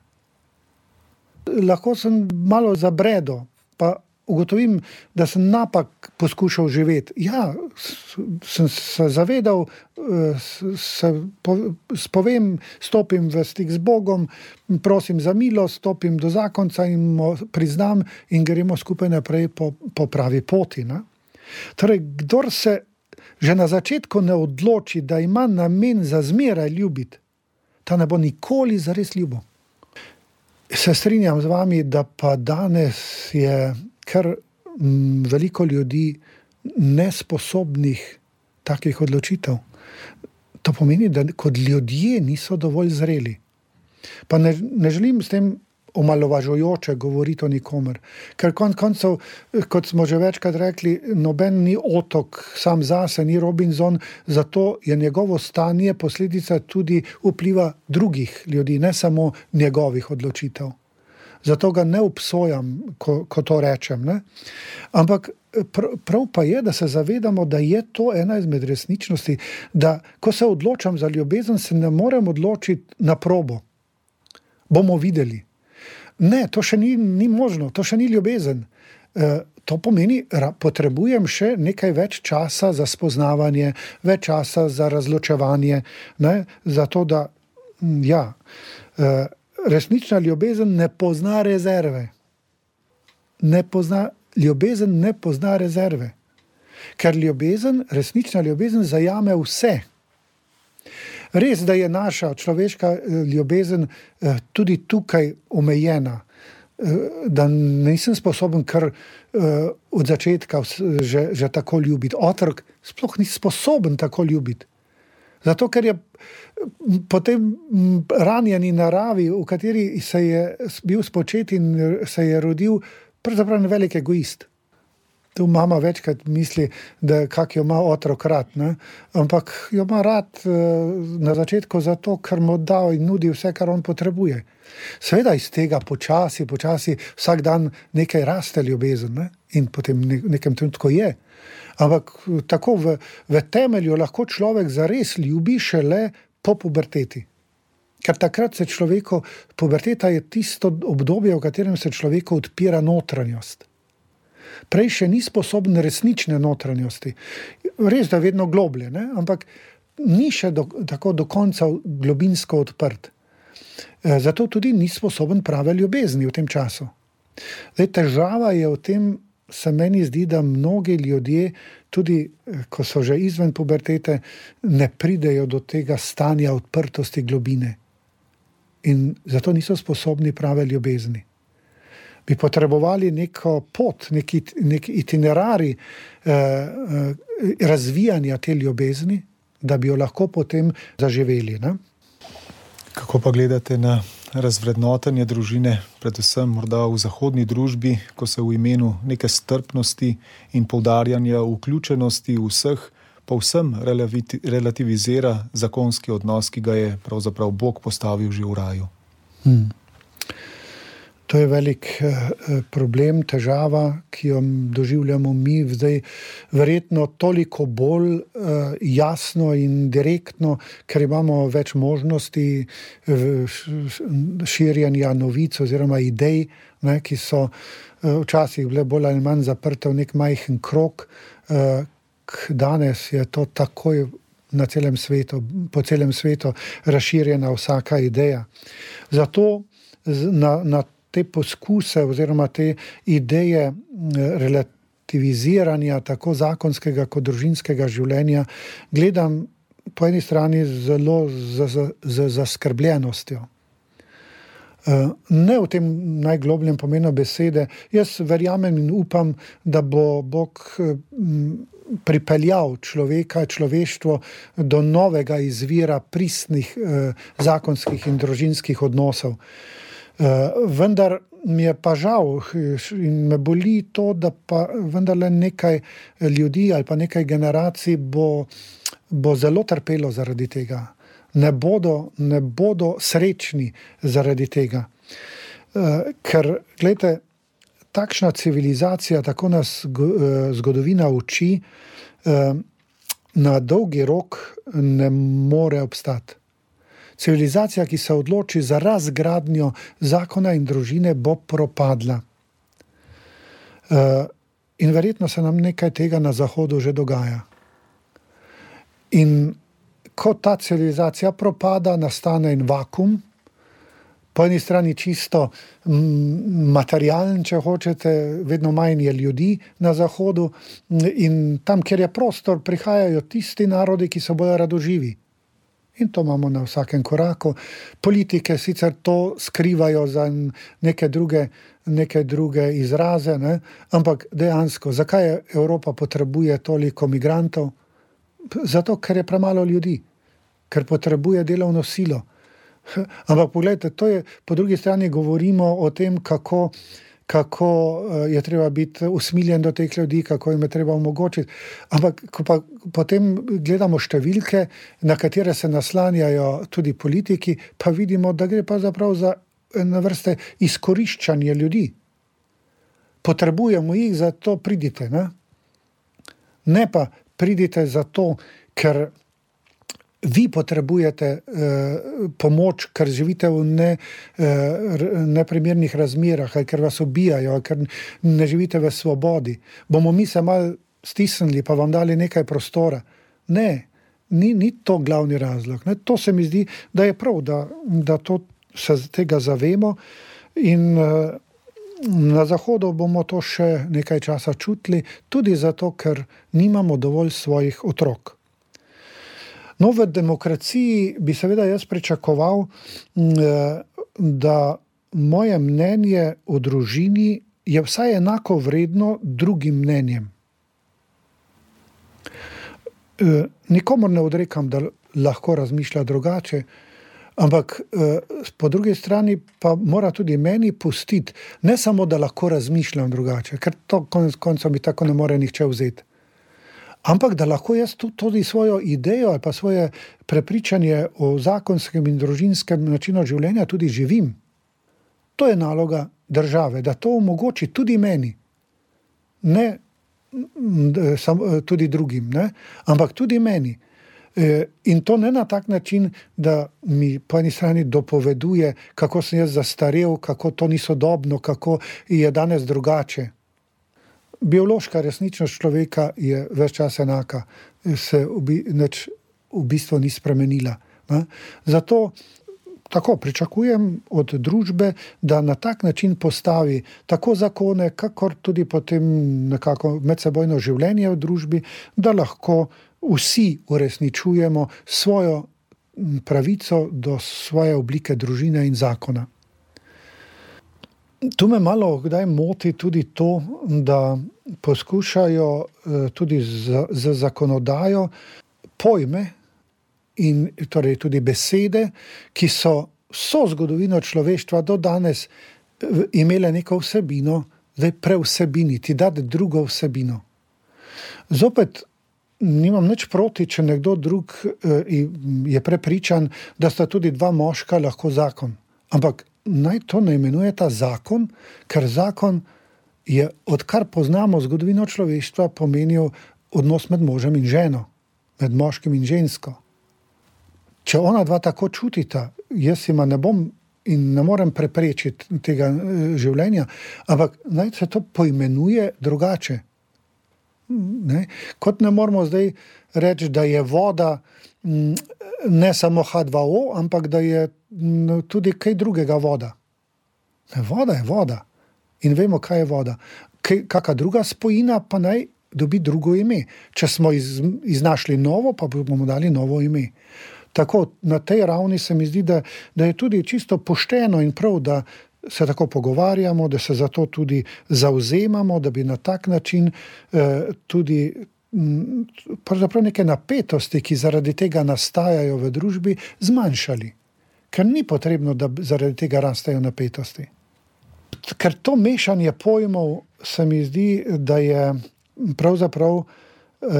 Lahko sem malo zabredo, pa ugotovim, da sem napak poskušal živeti. Ja, sem se zavedal, se spovem, stopim v stik z Bogom, prosim za milost, stopim do zakonca in mu priznam in gremo skupaj naprej po pravi poti. Ne? Torej, kdor se že na začetku ne odloči, da ima namen za zmeraj ljubiti, ta ne bo nikoli zares ljubil. Se strinjam z vami, da pa danes je kar veliko ljudi nesposobnih takih odločitev. To pomeni, da kot ljudje niso dovolj zreli. Pa ne želim s tem omalovažujoče govoriti o nikomer. Ker koncev, kot smo že večkrat rekli, noben ni otok sam zase, ni Robinson, zato je njegovo stanje posledica tudi vpliva drugih ljudi, ne samo njegovih odločitev. Zato ga ne obsojam, ko to rečem. Ne? Ampak prav pa je, da se zavedamo, da je to ena izmed resničnosti, da ko se odločam za ljubezen, se ne morem odločiti na probo. Bomo videli. Ne, to še ni možno, to še ni ljubezen. To pomeni, potrebujem še nekaj več časa za spoznavanje, več časa za razločevanje, ne? Zato da, resnična ljubezen ne pozna rezerve. Ljubezen ne pozna rezerve. Ker resnična ljubezen zajame vse. Res, da je naša človeška ljubezen tudi tukaj omejena, da nisem sposoben kar od začetka že tako ljubiti. Otrok sploh ni sposoben tako ljubiti. Zato, ker je po tem ranjeni naravi, v kateri se je bil spočet in se je rodil, pravzaprav velik egoist. Tu mama večkrat misli, da kak jo ima otrok rad, ne? Ampak jo ima rad na začetku zato, ker mu da in nudi vse, kar on potrebuje. Seveda iz tega počasi vsak dan nekaj raste ljubezen, ne? In potem nekem trenutku je. Ampak tako v temelju lahko človek zares ljubi šele po puberteti. Ker takrat se puberteta je tisto obdobje, v katerem se človeku odpira notranjost. Prej še ni sposoben resnične notranjosti. Res, da vedno globlje, ne? Ampak ni še tako do konca globinsko odprt. Zato tudi ni sposoben prave ljubezni v tem času. Težava je v tem, se meni zdi, da mnogi ljudje, tudi ko so že izven pubertete, ne pridejo do tega stanja odprtosti globine. In zato niso sposobni prave ljubezni. Bi potrebovali neko pot, nek itinerarij razvijanja te ljubezni, da bi jo lahko potem zaživeli. Ne? Kako pa gledate na razvrednotenje družine, predvsem morda v zahodni družbi, ko se v imenu neke strpnosti in poudarjanja vključenosti vseh povsem relativizira zakonski odnos, ki ga je pravzaprav Bog postavil že v raju? To je velik problem, težava, ki jo doživljamo mi zdaj verjetno toliko bolj jasno in direktno, ker imamo več možnosti širjenja novic oziroma idej, ne, ki so včasih bile bolj ali manj zaprte v nek majhen krog. Danes je to takoj na celem svetu, po celem svetu razširjena vsaka ideja. Zato na te poskuse oziroma te ideje relativiziranja tako zakonskega kot družinskega življenja gledam po eni strani zelo z zaskrbljenostjo. Ne v tem najglobljem pomenu besede. Jaz verjamem in upam, da bo Bog pripeljal človeštvo do novega izvira pristnih zakonskih in družinskih odnosov. Vendar mi je pa žal in me boli to, da pa vendarle nekaj ljudi ali pa nekaj generacij bo zelo trpelo zaradi tega. Ne bodo srečni zaradi tega. Ker, gledajte, takšna civilizacija, tako nas zgodovina uči, na dolgi rok ne more obstati. Civilizacija, ki se odloči za razgradnjo zakona in družine, bo propadla. In verjetno se nam nekaj tega na Zahodu že dogaja. In ko ta civilizacija propada, nastane en vakuum, po eni strani čisto materialen, če hočete, vedno manj je ljudi na Zahodu, in tam, kjer je prostor, prihajajo tisti narodi, ki so bolj radoživi. In to imamo na vsakem koraku. Politike sicer to skrivajo za neke druge izraze, ne? Ampak dejansko, zakaj Evropa potrebuje toliko migrantov? Zato, ker je premalo ljudi, ker potrebuje delovno silo. Ampak pogledajte, to je, po drugi strani govorimo o tem, kako je treba biti usmiljen do teh ljudi, kako jim je treba omogočiti. Ampak ko pa potem gledamo številke, na katere se naslanjajo tudi politiki, pa vidimo, da gre pa zaprav za ene vrste izkoriščanje ljudi. Potrebujemo jih, zato pridite. Ne pa pridite zato, ker vi potrebujete pomoč, ker živite v neprimernih razmerah, ali ker vas ubijajo, ali ker ne živite v svobodi. Bomo mi se malo stisnili, pa vam dali nekaj prostora. Ne, ni to glavni razlog. Ne. To se mi zdi, da je prav, da to se tega zavemo, in na Zahodu bomo to še nekaj časa čutili, tudi zato, ker nimamo dovolj svojih otrok. No, v demokraciji bi seveda jaz pričakoval, da moje mnenje o družini je vsaj enako vredno drugim mnenjem. Nikomor ne odrekam, da lahko razmišlja drugače, ampak po drugi strani pa mora tudi meni pustiti, ne samo, da lahko razmišljam drugače, ker to konec koncev mi tako ne more nihče vzeti. Ampak da lahko jaz tudi svojo idejo ali pa svoje prepričanje o zakonskem in družinskem načinu življenja tudi živim. To je naloga države, da to omogoči tudi meni. Ne tudi drugim, ne? Ampak tudi meni. In to ne na tak način, da mi po eni strani dopoveduje, kako sem jaz zastarel, kako to ni sodobno, kako je danes drugače. Biološka resničnost človeka je ves čas enaka, se v bistvu ni spremenila. Ne? Zato tako pričakujem od družbe, da na tak način postavi tako zakone, kakor tudi potem nekako medsebojno življenje v družbi, da lahko vsi uresničujemo svojo pravico do svoje oblike družine in zakona. Tu me malo kdaj moti tudi to, da poskušajo tudi z zakonodajo pojme in torej tudi besede, ki so vso zgodovino človeštva do danes imele neko vsebino, zdaj prevsebiniti, dati drugo vsebino. Zopet nimam nič proti, če nekdo drug je prepričan, da sta tudi dva moška lahko zakon. Ampak naj to ne imenuje ta zakon, ker zakon je, odkar poznamo zgodovino človeštva, pomenil odnos med možem in ženo, med moškim in žensko. Če ona dva tako čutita, jaz jima ne bom in ne morem preprečiti tega življenja, ampak naj se to poimenuje drugače. Ne? Kot ne moramo zdaj reči, da je voda ne samo H2O, ampak da je tudi kaj drugega voda. Voda je voda. In vemo, kaj je voda. Kakšna druga spojina pa naj dobi drugo ime. Če smo iznašli novo, pa bomo dali novo ime. Tako, na tej ravni se mi zdi, da je tudi čisto pošteno in prav, da se tako pogovarjamo, da se za to tudi zavzemamo, da bi na tak način tudi pravzaprav neke napetosti, ki zaradi tega nastajajo v družbi, zmanjšali. ker ni potrebno, da zaradi tega rastejo napetosti. Ker to mešanje pojmov se mi zdi, da je pravzaprav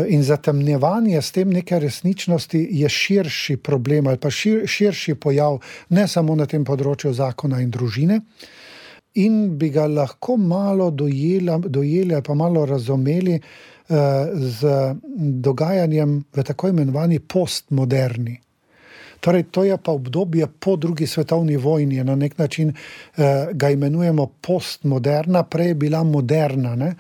in zatemnjevanje s tem neke resničnosti je širši problem ali pa širši pojav, ne samo na tem področju zakona in družine, in bi ga lahko malo dojeli ali pa malo razumeli z dogajanjem v tako imenovani postmoderni. Torej, to je pa obdobje po drugi svetovni vojni, na nek način ga imenujemo postmoderna, prej je bila moderna. Ne?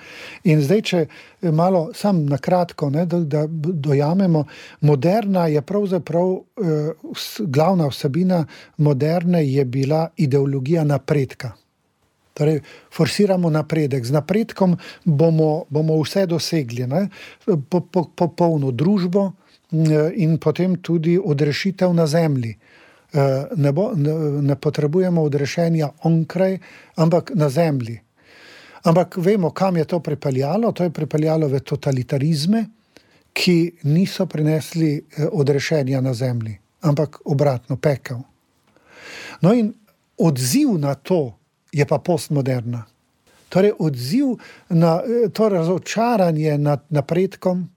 In zdaj, če malo sam na kratko, ne, da dojamemo, moderna je pravzaprav glavna vsebina moderne je bila ideologija napredka. Torej, forsiramo napredek. Z napredkom bomo vse dosegli, ne? Popolno družbo, in potem tudi odrešitev na zemlji. Ne potrebujemo odrešenja onkraj, ampak na zemlji. Ampak vemo, kam je to pripeljalo. To je pripeljalo v totalitarizme, ki niso prinesli odrešenja na zemlji, ampak obratno, pekel. No in odziv na to je pa postmoderna. Torej, odziv na to razočaranje nad napredkom,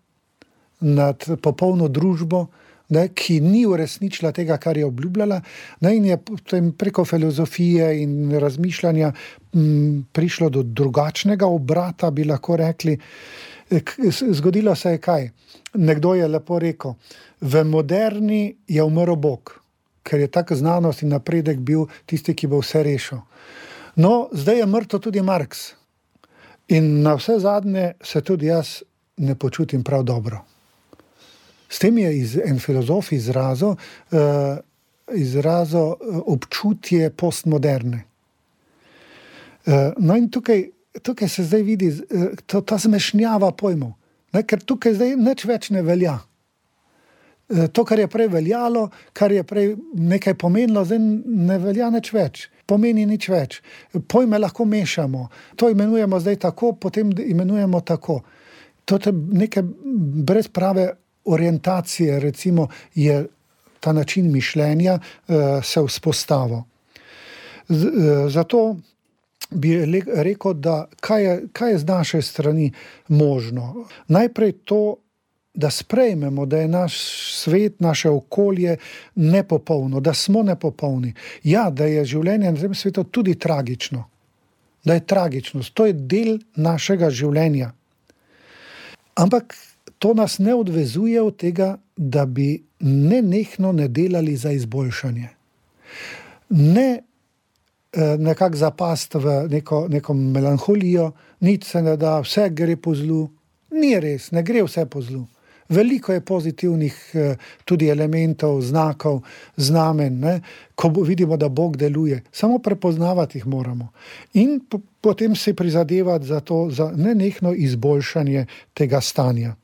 nad popolno družbo, ne, ki ni uresničila tega, kar je obljubljala, ne, in je potem preko filozofije in razmišljanja prišlo do drugačnega obrata, bi lahko rekli. Zgodilo se je kaj? Nekdo je lepo rekel, v moderni je umrl Bog, ker je tak znanost in napredek bil tisti, ki bo vse rešil. No, zdaj je mrtev tudi Marx. In na vse zadnje se tudi jaz ne počutim prav dobro. S tem je en filozof izrazil občutje postmoderne. No in tukaj se zdaj vidi ta zmešnjava pojmov, ne, ker tukaj zdaj nič več ne velja. To, kar je prej veljalo, kar je prej nekaj pomenilo, zdaj ne velja nič več, pomeni nič več. Pojme lahko mešamo, to imenujemo zdaj tako, potem imenujemo tako. To je nekaj brez prave orientacije, recimo, je ta način mišljenja se vzpostavil. Zato bi rekel, da kaj je z naše strani možno. Najprej to, da sprejmemo, da je naš svet, naše okolje nepopolno, da smo nepopolni. Ja, da je življenje na tem svetu tudi tragično. Da je tragičnost. To je del našega življenja. Ampak to nas ne odvezuje od tega, da bi nenehno ne delali za izboljšanje. Ne nekako zapast v neko melanholijo, nič se ne da, vse gre po zlu. Ni res, ne gre vse po zlu. Veliko je pozitivnih tudi elementov, znakov, znamen, ne? Ko vidimo, da Bog deluje. Samo prepoznavati jih moramo. In potem se prizadevati za nenehno izboljšanje tega stanja.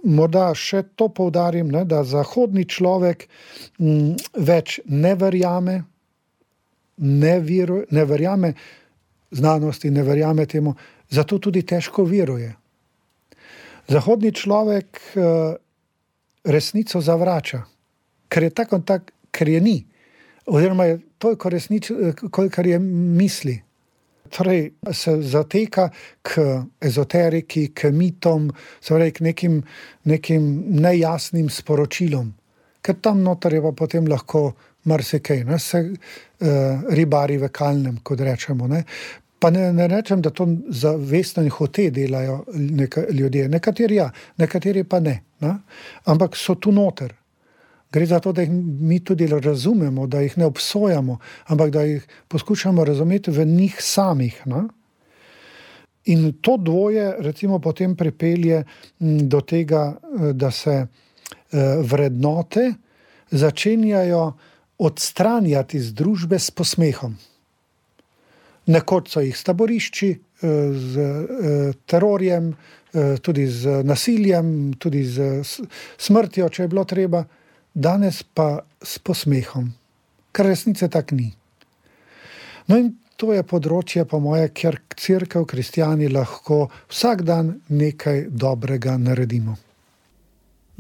Morda še to poudarim, ne, da zahodni človek več ne verjame znanosti, ne verjame temu, zato tudi težko veruje. Zahodni človek resnico zavrača, ker je tako, ker je ni, oziroma je toliko kolikor je misli. Torej se zateka k ezoteriki, k mitom, k nekim nejasnim sporočilom, ker tam noter je pa potem lahko marsikaj, ne, se ribari v kalnem, kot rečemo, ne. Pa ne rečem, da to zavestno in hote delajo ljudje. Nekateri ja, nekateri pa ne. Ampak so tu noter. Gre za to, da jih mi tudi razumemo, da jih ne obsojamo, ampak da jih poskušamo razumeti v njih samih. In to dvoje recimo potem pripelje do tega, da se vrednote začenjajo odstranjati z družbe s posmehom. Nekoč so jih s taborišči, z terorjem, tudi z nasiljem, tudi z smrtjo, če je bilo treba, danes pa s posmehom, kar resnice tak ni. No in to je področje, po moje, kjer cerkev, kristjani lahko vsak dan nekaj dobrega naredimo.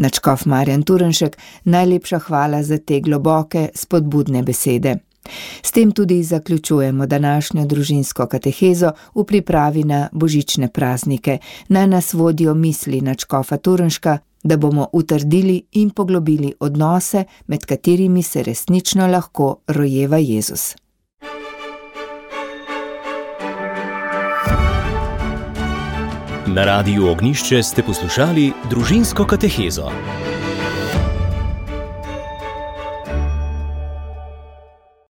Nadškof Marjan Turnšek, najlepša hvala za te globoke, spodbudne besede. S tem tudi zaključujemo današnjo družinsko katehezo v pripravi na božične praznike. Naj nas vodijo misli nadškofa Turnška, da bomo utrdili in poglobili odnose, med katerimi se resnično lahko rojeva Jezus. Na Radiu Ognjišče ste poslušali družinsko katehezo.